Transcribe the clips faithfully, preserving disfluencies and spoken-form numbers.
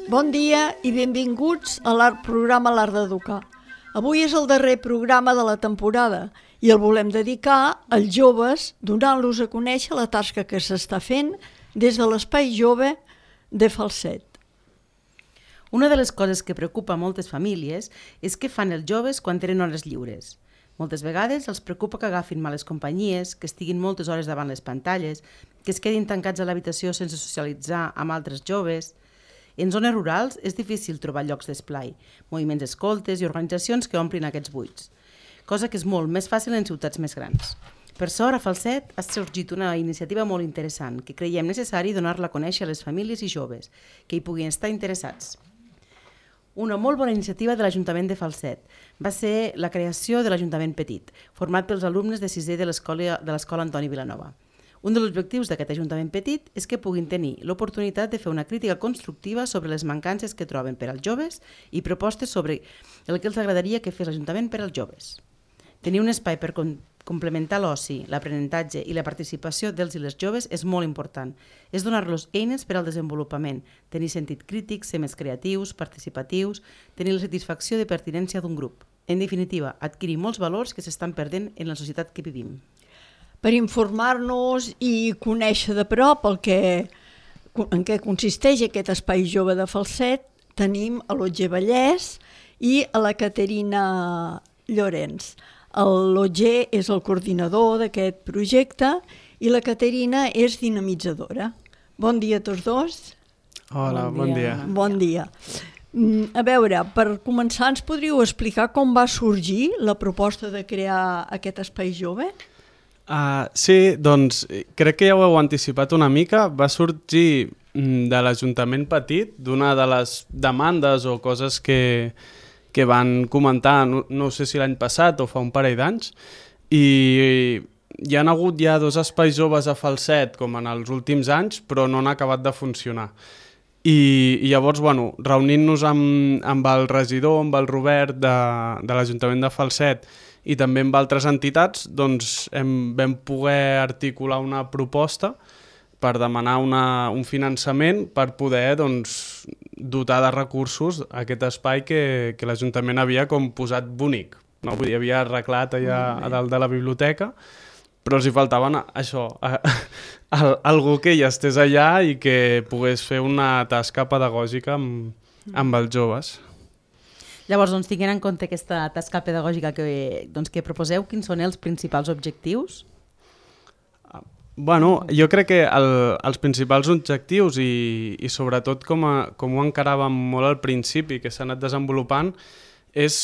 Bon dia i benvinguts a l'Art programa L'Art d'Educar. Avui és el darrer programa de la temporada i el volem dedicar als joves, donant-los a conèixer la tasca que s'està fent des de l'Espai Jove de Falset. Una de les coses que preocupa a moltes famílies és què fan els joves quan tenen hores lliures. Moltes vegades els preocupa que agafin males companyies, que estiguin moltes hores davant les pantalles, que es quedin tancats a l'habitació sense socialitzar amb altres joves. En zones rurals és difícil trobar llocs d'esplai, moviments escoltes i organitzacions que omplin aquests buits, cosa que és molt més fàcil en ciutats més grans. Per sort, a Falset ha sorgit una iniciativa molt interessant que creiem necessari donar-la a conèixer a les famílies i joves que hi puguin estar interessats. Una molt bona iniciativa de l'Ajuntament de Falset va ser la creació de l'Ajuntament Petit, format pels alumnes de sisè de l'Escola de l'Escola Antoni Vilanova. Un dels objectius d'aquest Ajuntament Petit és que puguin tenir l'oportunitat de fer una crítica constructiva sobre les mancances que troben per als joves i propostes sobre el que els agradaria que fes l'Ajuntament per als joves. Tenir un espai per com complementar l'oci, l'aprenentatge i la participació dels i les joves és molt important. És donar-los eines per al desenvolupament, tenir sentit crític, ser més creatius, participatius, tenir la satisfacció de pertinència d'un grup. En definitiva, adquirir molts valors que s'estan perdent en la societat que vivim. Per informar-nos i conèixer de prop el que, en què consisteix aquest Espai Jove de Falset, tenim a l'Otger Vallès i a la Caterina Llorenç. L'Otger és el coordinador d'aquest projecte i la Caterina és dinamitzadora. Bon dia a tots dos. Hola, bon dia. Bon dia. A veure, per començar, ens podríeu explicar com va sorgir la proposta de crear aquest Espai Jove? Uh, sí, doncs crec que ja ho heu anticipat una mica. Va sorgir de l'Ajuntament Petit, d'una de les demandes o coses que, que van comentar, no, no sé si l'any passat o fa un parell d'anys, i hi ha hagut ja dos espais joves a Falset com en els últims anys, però no han acabat de funcionar. I, i llavors, bueno, reunint-nos amb, amb el regidor, amb el Robert de, de l'Ajuntament de Falset, i també amb altres entitats, doncs hem, vam poder articular una proposta per demanar una, un finançament per poder doncs, dotar de recursos aquest espai que, que l'Ajuntament havia com posat bonic. No? Vull dir, havia arreglat allà a dalt de la biblioteca, però els hi faltaven això, a, a, algú que ja estés allà i que pogués fer una tasca pedagògica amb, amb els joves. Llavors, doncs, tinguent en compte aquesta tasca pedagògica que, doncs, que proposeu, quins són els principals objectius? Bueno, jo crec que el, els principals objectius i, i sobretot com, a, com ho encaràvem molt al principi, que s'ha anat desenvolupant, és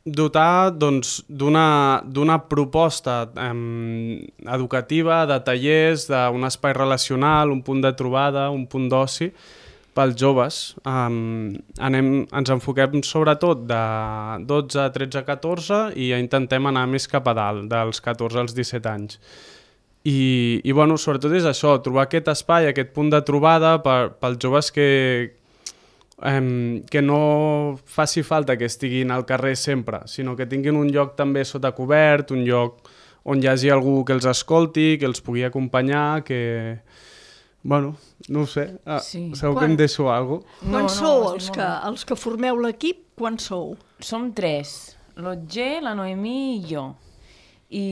dotar doncs, d'una d'una proposta eh, educativa, de tallers, d'un espai relacional, un punt de trobada, un punt d'oci, pels joves. Um, anem, ens enfoquem sobretot de dotze, tretze, catorze i intentem anar més cap a dalt, dels catorze als disset anys. I, i bueno, sobretot és això, trobar aquest espai, aquest punt de trobada per, pels joves que, um, que no faci falta que estiguin al carrer sempre, sinó que tinguin un lloc també sota cobert, un lloc on hi hagi algú que els escolti, que els pugui acompanyar, que... Bueno, no ho sé, ah, sí. Segur quan... que em deixo alguna cosa. No, quan no, sou els que, els que formeu l'equip? Quan sou? Som tres, l'Otger, la Noemí i jo. I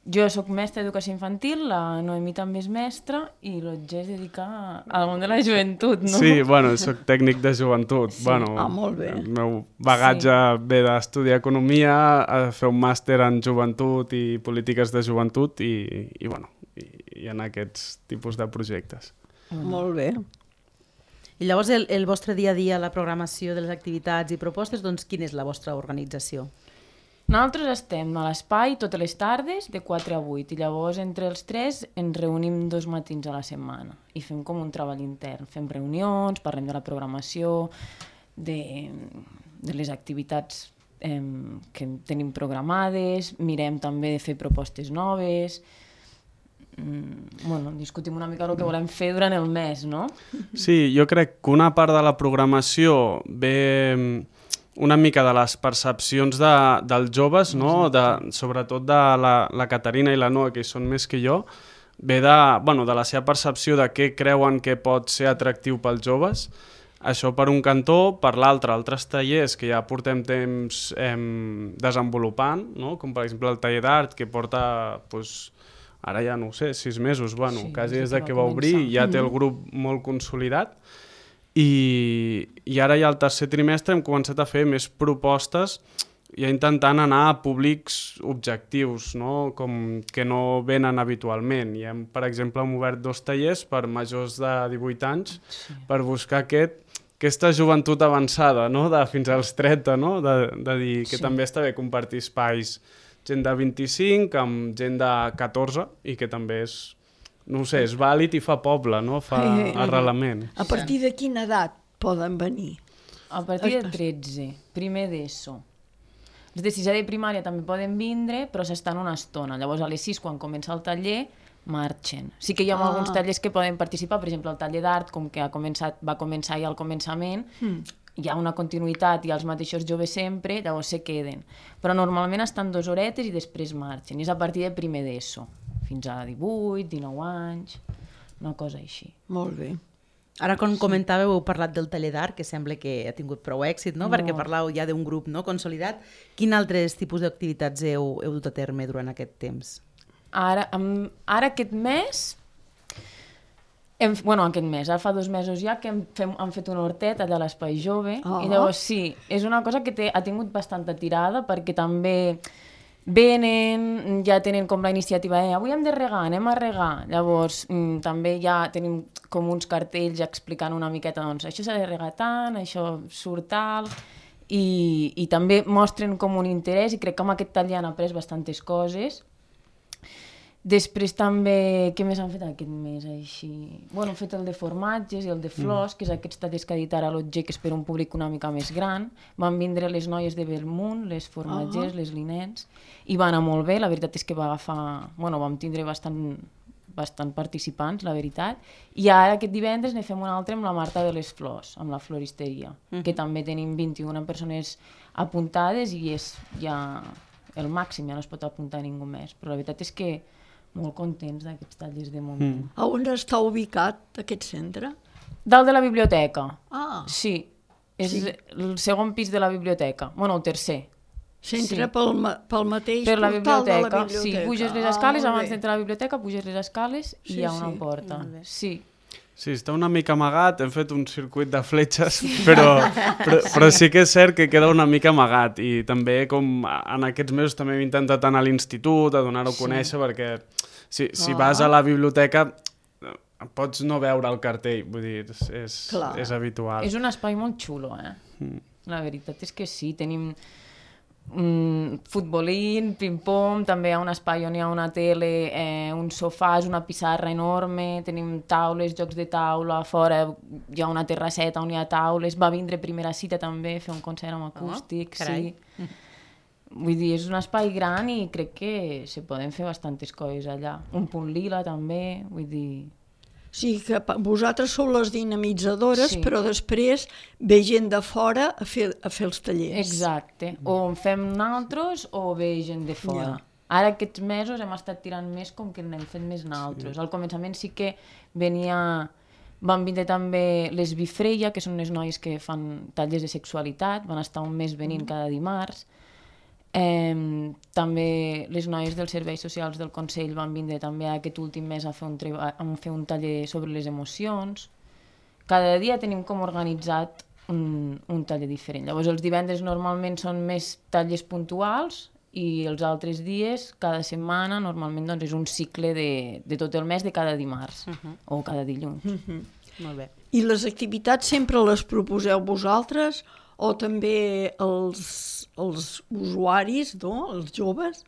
jo sóc mestra d'educació infantil, la Noemí també és mestra i l'Otger es dedica al món de la joventut, no? Sí, bueno, soc tècnic de joventut. Sí. Bueno, ah, molt bé. El meu bagatge sí. ve d'estudiar economia, a fer un màster en joventut i polítiques de joventut i, i bueno, i, i en aquests tipus de projectes. Mm. Molt bé. I llavors el, el vostre dia a dia, la programació de les activitats i propostes, doncs quina és la vostra organització? Nosaltres estem a l'espai totes les tardes de quatre a vuit i llavors entre els tres ens reunim dos matins a la setmana i fem com un treball intern. Fem reunions, parlem de la programació, de, de les activitats eh, que tenim programades, mirem també de fer propostes noves. mm, bueno, discutim una mica el que volem fer durant el mes, no? Sí, jo crec que una part de la programació ve una mica de les percepcions de, dels joves, no? De, sobretot de la, la Caterina i la Noa, que hi són més que jo, ve de, bueno, de la seva percepció de què creuen que pot ser atractiu pels joves. Això per un cantó, per l'altre, altres tallers que ja portem temps eh, desenvolupant, no? Com per exemple el taller d'art, que porta, pues, ara ja no ho sé, sis mesos, bueno, Sí, quasi des des de de que que va va obrir, començar. ja té el grup molt consolidat. I, i ara ja al tercer trimestre hem començat a fer més propostes ja intentant anar a públics objectius, no? Com que no venen habitualment. I hem, per exemple, hem obert dos tallers per majors de divuit anys Sí. per buscar aquest, aquesta joventut avançada, no? De fins als trenta, no? De, de dir que Sí. també està bé compartir espais gent de vint-i-cinc amb gent de catorze i que també és, no ho sé, és vàlid i fa poble, no? Fa Eh, eh, arrelament. A partir de quina edat poden venir? A partir de tretze, primer d'ESO. Els de sisè de primària també poden vindre, però s'estan una estona. Llavors, a les sis, quan comença el taller, marxen. Sí que hi ha Ah. alguns tallers que poden participar, per exemple, el taller d'art, com que ha començat, va començar ja al començament, Mm. hi ha una continuïtat i els mateixos joves sempre, llavors se queden. Però normalment estan dues horetes i després marxen. I és a partir de primer d'ESO, fins a divuit, dinou anys, una cosa així. Molt bé. Ara, quan comentàveu, heu parlat del taller d'art, que sembla que ha tingut prou èxit, no? Perquè parlàveu ja d'un grup, no?, consolidat. Quin altres tipus d'activitats heu, heu dut a terme durant aquest temps? Ara, amb, ara aquest mes, hem, bueno, aquest mes, ara fa dos mesos ja que hem, fem, hem fet un hortet allà a l'Espai Jove, Oh. i llavors sí, és una cosa que té, ha tingut bastanta tirada, perquè també venen, ja tenen com la iniciativa, eh, avui hem de regar, anem a regar. Llavors, mm, també ja tenim com uns cartells explicant una miqueta, doncs, això s'ha de regar tant, això surt tal, i, i també mostren com un interès, i crec que amb aquest taller han après bastantes coses. Després també, què més han fet aquest mes així? Bueno, han fet el de formatges i el de flors, mm. que és aquests tallers que ha dit ara l'O G, que és per un públic una mica més gran. Van vindre les noies de Belmunt, les formatgers, uh -huh. les linets, i va anar molt bé. La veritat és que va agafar... Bueno, vam tindre bastant, bastant participants, la veritat. I ara aquest divendres ne fem un altre amb la Marta de les Flors, amb la floristeria, uh -huh. que també tenim vint-i-una persones apuntades i és ja el màxim, ja no es pot apuntar ningú més. Però la veritat és que molt contents d'aquests tallers de moment. Mm. A on està ubicat aquest centre? Dalt de la biblioteca. Ah, Sí, és Sí. el segon pis de la biblioteca. Bueno, el tercer. s'entra Sí. pel, ma- pel mateix Per la portal de biblioteca. la biblioteca. Sí, puges les Ah, escales, molt abans bé. d'entrar a la biblioteca, puges les escales i Sí, hi ha una sí. porta. Molt bé. Sí. Sí, està una mica amagat, hem fet un circuit de fletxes, però, però, però sí que és cert que queda una mica amagat i també com en aquests mesos també hem intentat anar a l'institut, a donar-ho a Sí. conèixer, perquè si, si Ah. vas a la biblioteca pots no veure el cartell, vull dir, és, és, Clar. és habitual. És un espai molt xulo, eh? Mm. La veritat és que sí, tenim mm, futbolín, ping-pong, també hi ha un espai on hi ha una tele, eh, uns sofàs, una pissarra enorme, tenim taules, jocs de taula, fora hi ha una terrasseta on hi ha taules, va vindre Primera Cita també, fer un concert amb acústic, carai. sí. Vull dir, és un espai gran i crec que se poden fer bastantes coses allà. Un punt lila també, vull dir... Sí, que pa- vosaltres sou les dinamitzadores, Sí. però després ve gent de fora a fer, a fer els tallers. Exacte, o en fem naltros o ve gent de fora. Ja. Ara aquests mesos hem estat tirant més com que n'hem fet més naltros. Al començament sí que venia... Van vindre també les Bifreia, que són unes noies que fan tallers de sexualitat, van estar un mes venint cada dimarts. Eh, també les noies dels serveis socials del Consell van vindre també aquest últim mes a fer un, treba- a fer un taller sobre les emocions. Cada dia tenim com organitzat un, un taller diferent. Llavors els divendres normalment són més tallers puntuals i els altres dies, cada setmana, normalment doncs, és un cicle de, de tot el mes de cada dimarts uh -huh. o cada dilluns. Uh -huh. Molt bé. I les activitats sempre les proposeu vosaltres o també els, els usuaris, no? Els joves,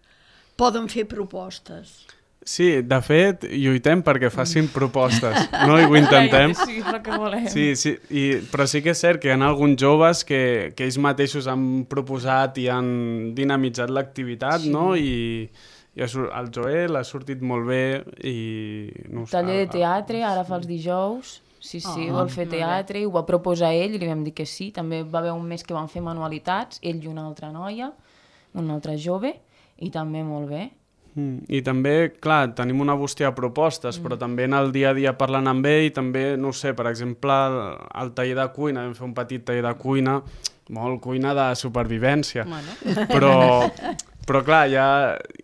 poden fer propostes? Sí, de fet, lluitem perquè facin propostes, no? I ho intentem. Sí, és el que volem. Sí, sí, i, però sí que és cert que hi ha alguns joves que, que ells mateixos han proposat i han dinamitzat l'activitat, Sí. no? I, I el Joel ha sortit molt bé i... No sé, Taller de teatre, ara fa els dijous. Sí, sí, oh, vol fer teatre, i ho va proposar ell i li vam dir que sí. També va haver un mes que van fer manualitats, ell i una altra noia, una altra jove, i també molt bé. Mm. I també, clar, tenim una bústia de propostes, mm. però també en el dia a dia parlant amb ell, també, no sé, per exemple, al taller de cuina, vam fer un petit taller de cuina, molt cuina de supervivència, bueno. però, però clar, ja,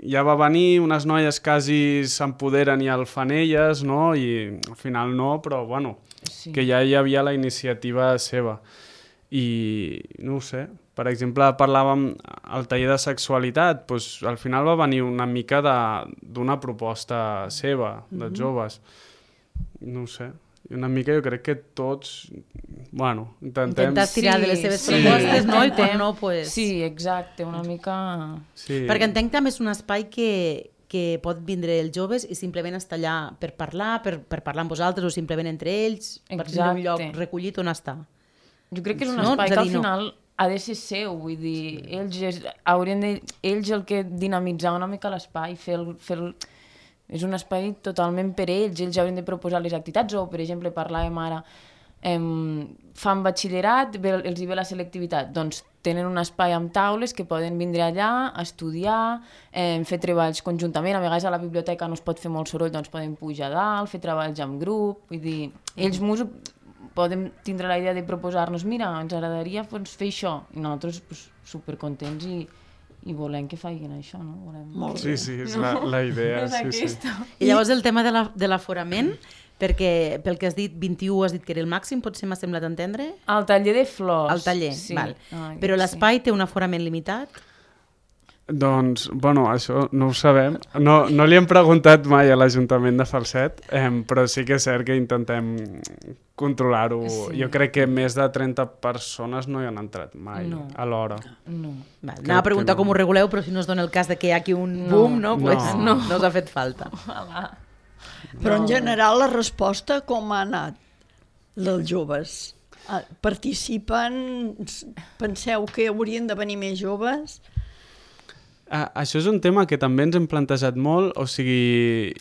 ja va venir, unes noies quasi s'empoderen i el fan elles, no? I al final no, però bueno, sí. que ja hi havia la iniciativa seva. I no ho sé, per exemple, parlàvem al taller de sexualitat, doncs al final va venir una mica d'una proposta seva, dels mm-hmm. joves. No ho sé, una mica jo crec que tots, bueno, intentem... Intentar tirar sí, de les seves sí, propostes, sí, no? I quan no, pues... Sí, exacte, una mica... Sí. Perquè entenc també és un espai que, que pot vindre els joves i simplement estar allà per parlar, per, per parlar amb vosaltres o simplement entre ells, exacte. Per tindre un lloc recollit on estar. Jo crec que és un no? espai que al final no. ha de ser seu, vull dir, sí. ells, és, haurien de, ells el que dinamitzar una mica l'espai, fer el, fer el, és un espai totalment per ells, ells haurien de proposar les activitats, o per exemple parlàvem ara, em, fan batxillerat, els hi ve la selectivitat, doncs tenen un espai amb taules que poden vindre allà a estudiar, em, fer treballs conjuntament, a vegades a la biblioteca no es pot fer molt soroll, doncs poden pujar a dalt, fer treballs en grup, vull dir, ells músics podem tindre la idea de proposar-nos, mira, ens agradaria doncs, fer això, i nosaltres pues, supercontents i, i volem que facin això, no? Volem... Molt sí, sí, és la, la idea. és sí, sí. I llavors el tema de l'aforament, perquè pel que has dit, vint-i-u has dit que era el màxim, potser m'ha semblat entendre? El taller de flors. El taller, sí. val. Ai, però l'espai sí. té un aforament limitat? Doncs, bueno, això no ho sabem. No, no li hem preguntat mai a l'Ajuntament de Falset, eh, però sí que és cert que intentem controlar-ho. Sí. Jo crec que més de trenta persones no hi han entrat mai no. a l'hora. No. Val, anava a preguntar no. com ho reguleu, però si no es dona el cas de que hi ha aquí un no. boom, no, pues no. no, no us ha fet falta. Ojalà. Però en general la resposta com ha anat dels joves? Participen? Penseu que haurien de venir més joves? Uh, això és un tema que també ens hem plantejat molt, o sigui,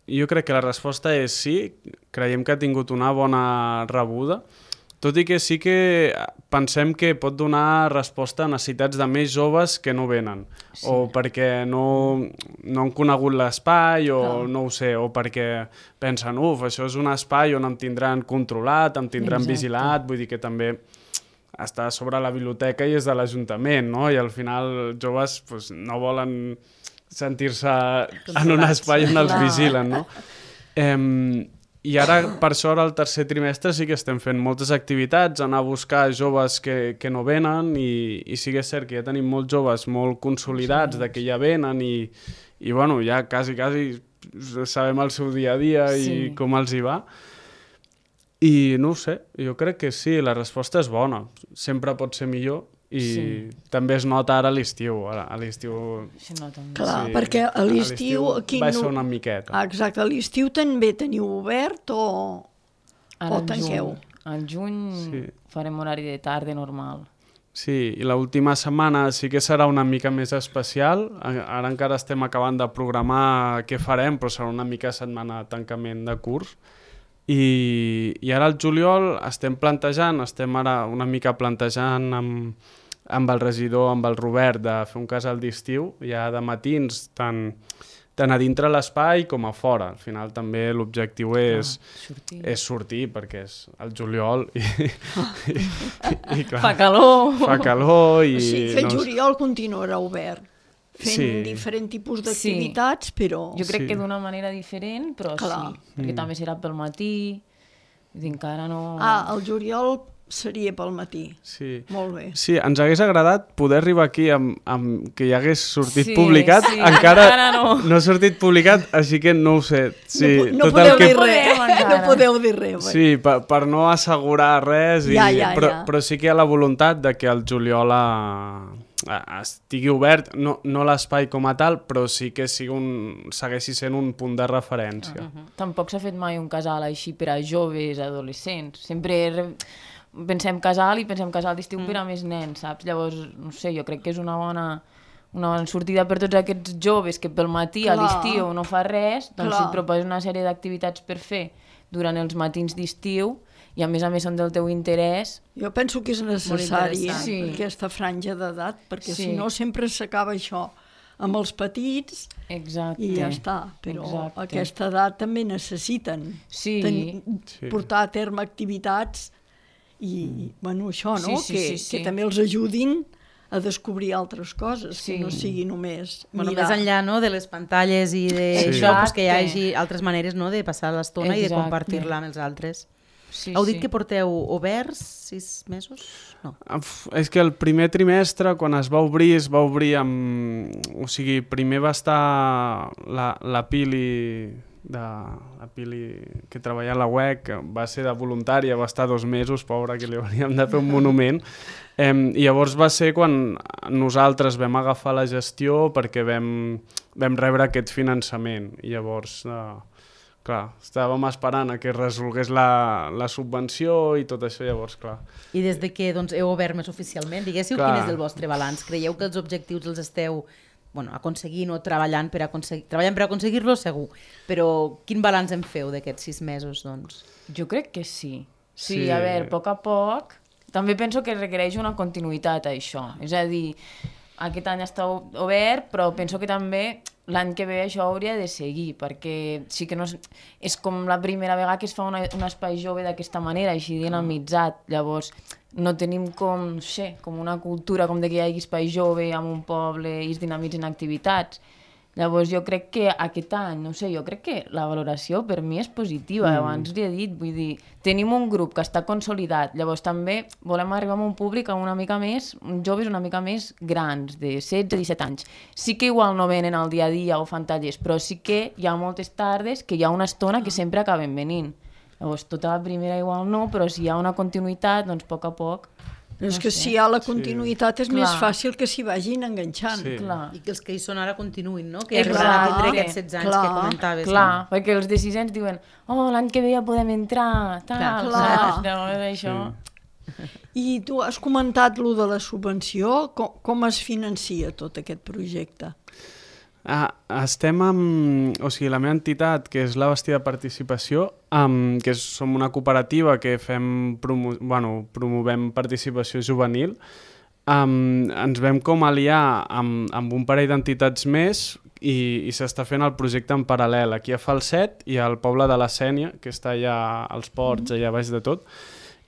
jo crec que la resposta és sí, creiem que ha tingut una bona rebuda, tot i que sí que pensem que pot donar resposta a necessitats de més joves que no venen, sí. o perquè no, no han conegut l'espai, o no. no ho sé, o perquè pensen, uf, això és un espai on em tindran controlat, em tindran Exacte. vigilat, vull dir que també... està sobre la biblioteca i és de l'Ajuntament, no? I al final els joves pues, no volen sentir-se en un espai on els vigilen, no? Eh, I ara, per sort, al tercer trimestre sí que estem fent moltes activitats, anar a buscar joves que, que no venen i, i sí que és cert que ja tenim molts joves molt consolidats sí. de que ja venen i, i bueno, ja quasi, quasi sabem el seu dia a dia sí. i com els hi va. I no ho sé, jo crec que sí, la resposta és bona. Sempre pot ser millor i sí. també es nota ara a l'estiu. A l'estiu... Sí, Clar, sí. perquè a l'estiu... Va ser una miqueta. Ah, exacte, a l'estiu també teniu obert o, ara o tanqueu? Al juny sí. farem horari de tarda normal. Sí, i l'última setmana sí que serà una mica més especial. Ara encara estem acabant de programar què farem, però serà una mica setmana de tancament de curs. I, i ara al juliol estem plantejant, estem ara una mica plantejant amb, amb el regidor, amb el Robert, de fer un casal d'estiu, ja de matins, tant, tant a dintre l'espai com a fora. Al final també l'objectiu és, ah, sortir. és sortir, perquè és el juliol i, i, i, i clar, fa calor. Fa calor i... O sigui que el juliol no... continuarà obert. Fent sí. diferents tipus d'activitats, sí. però... Jo crec sí. que d'una manera diferent, però Clar. sí, perquè mm. també serà pel matí, encara no... Ah, el juliol seria pel matí. Sí. Molt bé. Sí, ens hagués agradat poder arribar aquí amb, amb que hi hagués sortit sí, publicat, sí. encara, encara no. no ha sortit publicat, així que no ho sé. Sí, no, no tot podeu el que... dir res, no podeu dir res. Sí, per, per no assegurar res, i... ja, ja, però, ja. però sí que hi ha la voluntat de que el juliol a... estigui obert, no, no l'espai com a tal, però sí que sigui un, segueixi sent un punt de referència. Uh -huh. Tampoc s'ha fet mai un casal així per a joves, adolescents. Sempre re... pensem casal i pensem casal d'estiu mm. per a més nens, saps? Llavors, no sé, jo crec que és una bona, una sortida per tots aquests joves que pel matí Clar. a l'estiu no fa res, doncs Clar. si et proposes una sèrie d'activitats per fer durant els matins d'estiu i a més a més són del teu interès. Jo penso que és necessari eh, Sí. aquesta franja d'edat, perquè Sí. si no sempre s'acaba això amb els petits Exacte. i ja està. Però Exacte. aquesta edat també necessiten Sí. tenir, Sí. portar a terme activitats i, bueno, això, no? Sí, sí, que, sí, sí. que també els ajudin a descobrir altres coses, Sí. que no sigui només Bueno, mirar. més enllà no, de les pantalles i Sí. d'això, pues que hi Exacte. hagi altres maneres no, de passar l'estona i de Exacte. compartir-la amb els altres. Sí, Heu dit sí. que porteu oberts sis mesos? No. Uf, és que el primer trimestre, quan es va obrir, es va obrir amb... O sigui, primer va estar la, la Pili, de, la Pili que treballa a la U E C, que va ser de voluntària, va estar dos mesos, pobra, que li hauríem de fer un monument. Eh, I llavors va ser quan nosaltres vam agafar la gestió perquè vam, vam rebre aquest finançament. I llavors... Eh, clar, estàvem esperant a que es resolgués la, la subvenció i tot això, llavors, clar. I des de que doncs, heu obert més oficialment, diguéssiu, Clar. quin és el vostre balanç? Creieu que els objectius els esteu bueno, aconseguint o treballant per aconseguir... Treballant per aconseguir-los, segur. Però quin balanç en feu d'aquests sis mesos, doncs? Jo crec que sí. Sí, Sí. a veure, a poc a poc... També penso que requereix una continuïtat, això. És a dir, aquest any està obert, però penso que també l'any que ve això hauria de seguir, perquè sí que no és, és com la primera vegada que es fa una, un espai jove d'aquesta manera, així dinamitzat. Llavors, no tenim com, no sé, com una cultura com de que hi hagi espai jove en un poble i es dinamitzen activitats. Llavors jo crec que aquest any, no sé, jo crec que la valoració per mi és positiva, mm. abans li he dit, vull dir, tenim un grup que està consolidat, llavors també volem arribar a un públic una mica més, joves una mica més grans, de setze a disset anys. Sí que igual no venen al dia a dia o fan tallers, però sí que hi ha moltes tardes que hi ha una estona que sempre acaben venint. Llavors tota la primera igual no, però si hi ha una continuïtat, doncs a poc a poc... És no que sé. si hi ha la continuïtat és Clar. més fàcil que s'hi vagin enganxant. Sí. Clar. I que els que hi són ara continuïn, no? Que Exacte. arribaran a tindre aquests setze anys Clar. que comentaves. Clar, No? perquè els decisions diuen oh, l'any que ve ja podem entrar, tal, Clar, clar. saps? Llavors això... I tu has comentat lo de la subvenció, com, com es financia tot aquest projecte? Ah, estem amb... O sigui, la meva entitat, que és la Bastida Participació, amb, que és, som una cooperativa que fem promo, bueno, promovem participació juvenil, um, ens vam com aliar amb, amb un parell d'entitats més i, i s'està fent el projecte en paral·lel aquí a Falset i al poble de la Sénia, que està allà als ports, allà baix de tot,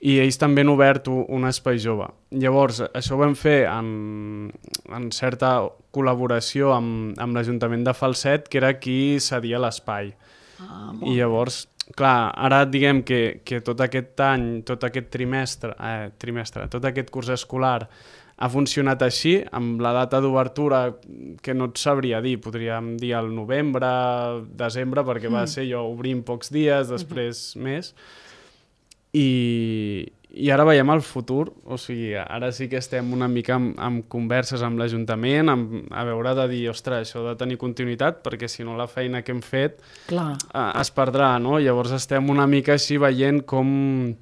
i ells també han obert un espai jove. Llavors, això ho vam fer en, en certa col·laboració amb, amb l'Ajuntament de Falset, que era qui cedia l'espai. Ah, I llavors, clar, ara diguem que, que tot aquest any, tot aquest trimestre, eh, trimestre, tot aquest curs escolar ha funcionat així, amb la data d'obertura que no et sabria dir, podríem dir al novembre, desembre, perquè mm. va ser jo obrim pocs dies, després mm-hmm. més, i, i ara veiem el futur, o sigui, ara sí que estem una mica amb, amb converses amb l'Ajuntament, amb, a veure de dir, ostres, això de tenir continuïtat, perquè si no la feina que hem fet Clar. eh, es perdrà, no? Llavors estem una mica així veient com,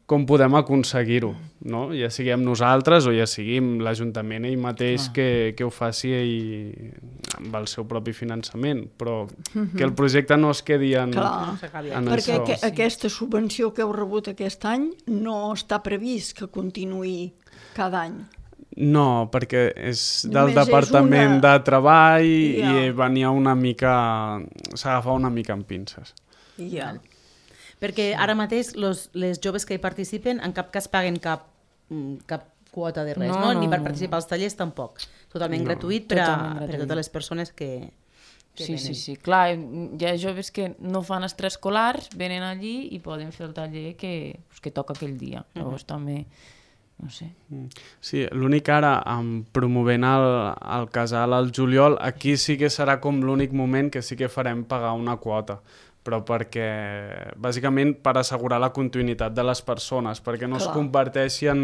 com podem aconseguir-ho, no? Ja siguem nosaltres o ja siguem l'Ajuntament ell mateix que, que ho faci ell amb el seu propi finançament, però que el projecte no es quedi en, Clar. en Perquè això. que, aquesta subvenció que heu rebut aquest any no està previst que continuï cada any. No, perquè és del Només és Departament una- de Treball Ja. i venia una mica... s'agafava una mica amb pinces. Ja. Perquè ara mateix los, les joves que hi participen en cap cas paguen cap, mm, cap quota de res, no, No, no? Ni no, per no. participar als tallers tampoc. Totalment No. gratuït per a, Totalment per a gratuït. totes les persones que, que Sí, venen. sí, sí. Clar, hi ha joves que no fan extraescolars, venen allí i poden fer el taller que, pues, que toca aquell dia. Llavors també, no sé. Sí, l'únic ara, amb promovent el, el casal al juliol, aquí sí que serà com l'únic moment que sí que farem pagar una quota, però perquè, bàsicament, per assegurar la continuïtat de les persones, perquè no Clar. es converteixi en,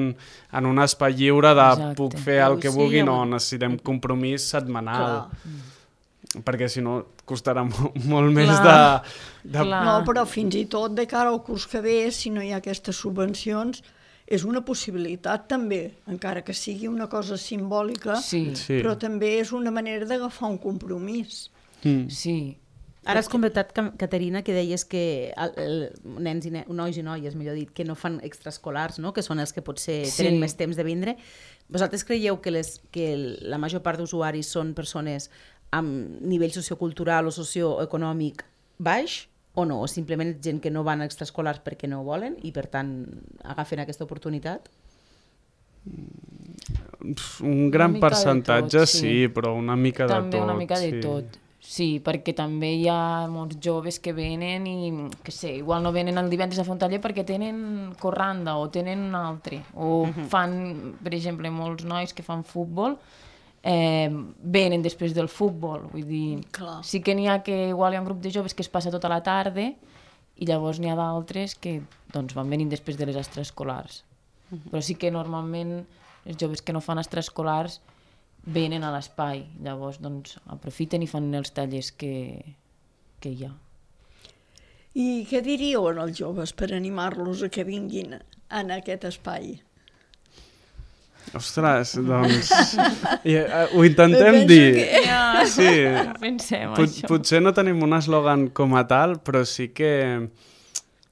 en un espai lliure de Exacte. puc fer el que Sí, vulgui, no, home. necessitem compromís setmanal, Clar. perquè si no costarà mo molt més Clar. de... de... Clar. No, però fins i tot de cara al curs que ve, si no hi ha aquestes subvencions, és una possibilitat també, encara que sigui una cosa simbòlica, Sí, Sí. però també és una manera d'agafar un compromís. Mm. sí. Ara has comentat, Ca- Caterina, que deies que el, el, nens i ne nois i noies, millor dit, que no fan extraescolars, no? Que són els que potser Sí. tenen més temps de vindre. Vosaltres creieu que, les, que la major part d'usuaris són persones amb nivell sociocultural o socioeconòmic baix o no? O simplement gent que no van a extraescolars perquè no volen i per tant agafen aquesta oportunitat? Un gran mica de percentatge, tot, sí. sí. però una mica de També tot. una mica de sí. tot. Sí, perquè també hi ha molts joves que venen i, que sé, igual no venen el divendres a fer un taller perquè tenen corranda o tenen un altre. O uh-huh. fan, per exemple, molts nois que fan futbol, eh, venen després del futbol. Vull dir, Clar. sí que n'hi ha que igual hi ha un grup de joves que es passa tota la tarda i llavors n'hi ha d'altres que doncs, van venint després de les extraescolars. Uh-huh. Però sí que normalment els joves que no fan extraescolars venen a l'espai, llavors doncs, aprofiten i fan els tallers que, que hi ha. I què diríeu als joves per animar-los a que vinguin en aquest espai? Ostres, doncs... I, uh, ho intentem Penso dir. que- Ja, Sí, pensem pot, això. potser no tenim un eslògan com a tal, però sí que...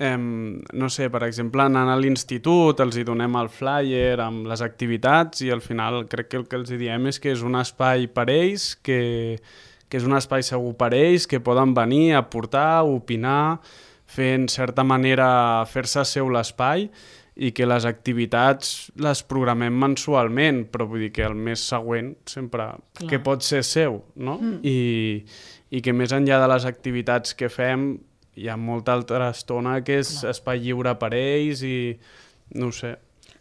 Eh, no sé, per exemple, anant a l'institut els hi donem el flyer amb les activitats i al final crec que el que els hi diem és que és un espai per ells, que, que és un espai segur per ells, que poden venir a aportar, opinar, fer en certa manera fer-se seu l'espai i que les activitats les programem mensualment, però vull dir que el mes següent sempre Clar. que pot ser seu, no? Mm. I, i que més enllà de les activitats que fem hi ha molta altra estona que és Clar. espai lliure per ells i no ho sé.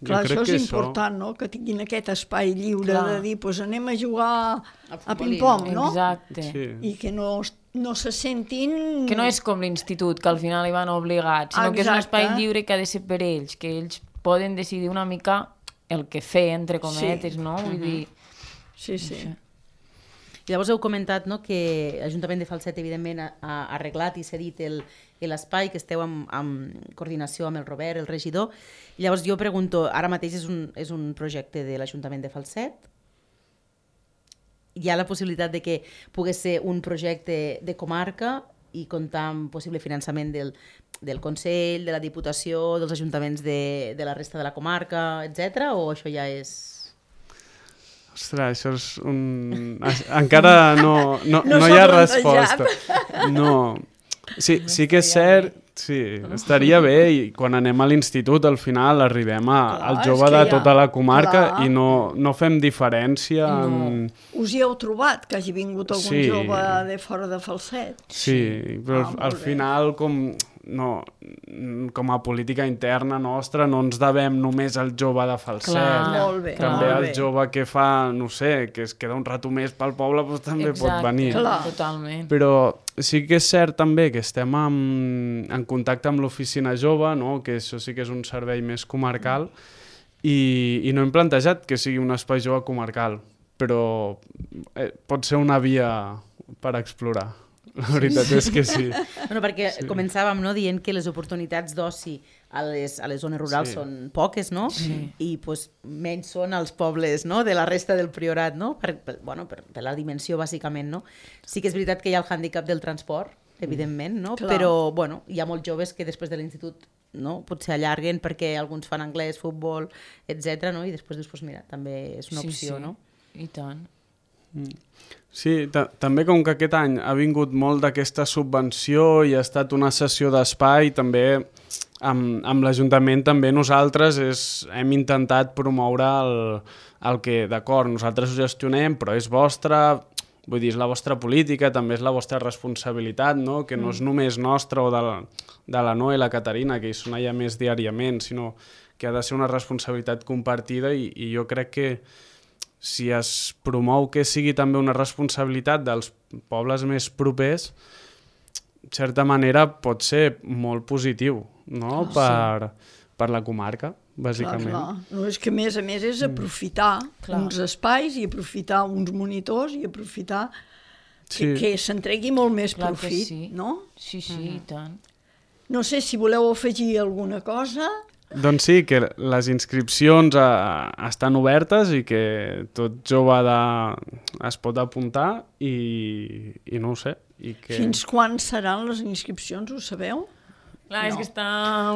Clar, jo crec això és que important, no?, que tinguin aquest espai lliure Clar. de dir, doncs anem a jugar a futbolí, ping-pong, no? Exacte. Sí. I que no, no se sentin... Que no és com l'institut, que al final hi van obligats, sinó que és un Exacte. espai lliure que ha de ser per ells, que ells poden decidir una mica el que fer, entre cometes, Sí. no? Vull dir... Sí, sí. I llavors heu comentat, no, que l'Ajuntament de Falset, evidentment, ha, ha arreglat i cedit el- l'espai, que esteu en, en coordinació amb el Robert, el regidor. I llavors jo pregunto, ara mateix és un, és un projecte de l'Ajuntament de Falset? Hi ha la possibilitat de que pogués ser un projecte de comarca i comptar amb possible finançament del, del Consell, de la Diputació, dels ajuntaments de, de la resta de la comarca, etcètera, o això ja és... Ostres, això és un... Encara no, no, No no, s'ha hi ha plantejat. resposta. No. Sí, sí que és cert, sí, estaria bé i quan anem a l'institut al final arribem a, Clar, al és jove que de hi ha- tota la comarca clar. i no, no fem diferència en... Us hi heu trobat, que hagi vingut algun Sí. jove de fora de Falset? Sí, però Ah, molt al bé. final com, no, com a política interna nostra no ens devem només al jove de Falset. Clar, Molt bé, També molt el bé. jove que fa, no sé, que es queda un rato més pel poble, doncs també pot venir. Clar. Totalment. Però sí que és cert també que estem en, en contacte amb l'oficina jove, no? Que això sí que és un servei més comarcal, i, i no hem plantejat que sigui un espai jove comarcal, però eh, pot ser una via per explorar. La veritat és que sí. Bueno, perquè sí. començàvem, no, dient que les oportunitats d'oci a les, a les zones rurals Sí. són poques, no? Sí. I pues, menys són als pobles, no?, de la resta del Priorat, no? Per, per, bueno, per, per la dimensió, bàsicament, no? Sí que és veritat que hi ha el hàndicap del transport, evidentment, no? Clar. Però, bueno, hi ha molts joves que després de l'institut, no?, potser allarguen perquè alguns fan anglès, futbol, etcètera, no? I després dius, pues mira, també és una Sí, opció, sí. no? I tant. Sí, ta també com que aquest any ha vingut molt d'aquesta subvenció i ha estat una sessió d'espai, també amb, amb l'Ajuntament també nosaltres és, hem intentat promoure el, el que, d'acord, nosaltres ho gestionem, però és vostre, vull dir, és la vostra política, també és la vostra responsabilitat, no? Que no és només nostra o de la, de la Noa i la Caterina, que hi són allà més diàriament, sinó que ha de ser una responsabilitat compartida i, i jo crec que si es promou que sigui també una responsabilitat dels pobles més propers, de certa manera pot ser molt positiu, no? Ah, per, per la comarca, bàsicament. Clar, clar. No, és que a més a més és aprofitar Clar. uns espais i aprofitar uns monitors i aprofitar Sí. que, que se'n tregui molt més Clar que profit, sí. no? Sí, sí, i tant. No sé si voleu afegir alguna cosa. Doncs sí, que les inscripcions a, estan obertes i que tot jove de, es pot apuntar i, i no ho sé. I que... Fins quan seran les inscripcions, ho sabeu? Clar, No. és que està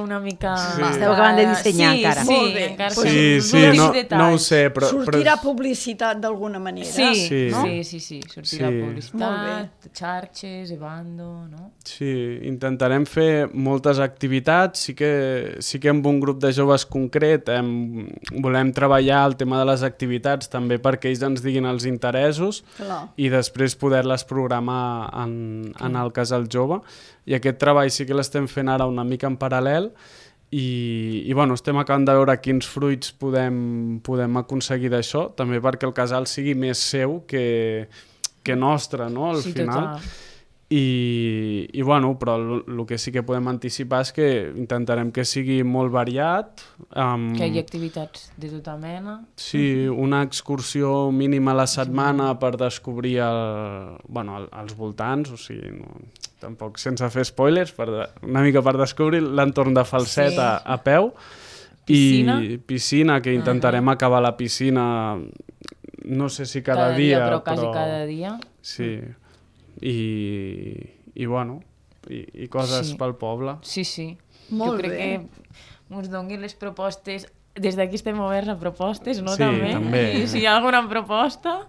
una mica... Sí. Esteu acabant de dissenyar sí, encara. Sí, Molt bé. encara Pues Sí, són sí, últims no, detalls. no ho sé, però... Sortirà però... publicitat d'alguna manera. Sí, Sí. no? No? sí, sí, sí, sortirà Sí. Molt publicitat, xarxes, Evando, no? Sí, intentarem fer moltes activitats, sí que, sí que amb un grup de joves concret hem, volem treballar el tema de les activitats també perquè ells ens diguin els interessos Clar. i després poder-les programar en, en el casal jove. I aquest treball sí que l'estem fent ara una mica en paral·lel i, i bueno, estem acabant de veure quins fruits podem, podem aconseguir d'això, també perquè el casal sigui més seu que, que nostre, no?, al Sí, final. total. I, i bueno, però el que sí que podem anticipar és que intentarem que sigui molt variat. Um, Que hi ha activitats de tota mena. Sí, una excursió mínima a la setmana per descobrir el, bueno, el, els voltants, o sigui, no, tampoc sense fer spoilers, per, de- una mica per descobrir l'entorn de Falset Sí. a, a peu. Piscina. I piscina, que intentarem uh -huh. acabar la piscina, no sé si cada, Cada dia, dia, però quasi cada dia. Sí, i, i bueno, i, i coses Sí. pel poble. Sí, sí. Molt jo crec bé. que ens donguin les propostes. Des d'aquí estem oberts a propostes, no? Sí, també. també. I si hi ha alguna proposta,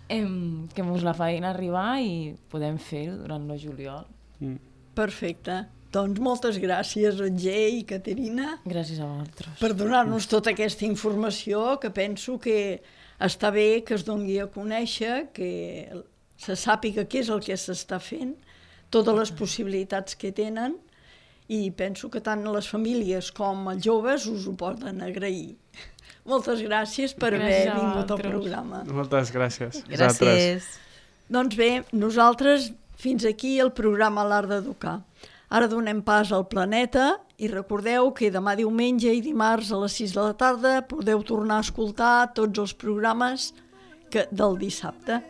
em, que ens la facin arribar i podem fer-ho durant el juliol. Mm. Perfecte. Doncs moltes gràcies, Roger i Caterina, Gràcies a vosaltres. per donar-nos tota aquesta informació, que penso que està bé que es doni a conèixer, que se sàpiga què és el que s'està fent, totes les possibilitats que tenen, i penso que tant les famílies com els joves us ho poden agrair. Moltes gràcies per Gràcies haver a vingut al vosaltres. programa. Moltes gràcies. Vosaltres. Gràcies. Doncs bé, nosaltres fins aquí el programa L'Art d'Educar. Ara donem pas al Planeta i recordeu que demà diumenge i dimarts a les sis de la tarda podeu tornar a escoltar tots els programes que, del dissabte.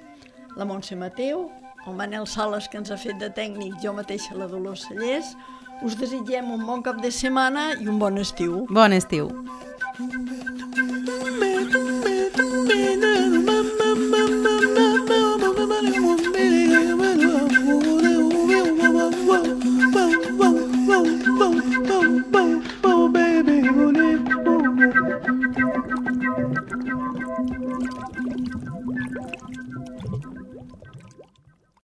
La Montse Mateu, el Manel Sales, que ens ha fet de tècnic, jo mateixa la Dolors Cellers, us desitgem un bon cap de setmana i un bon estiu. Bon estiu. Thank you.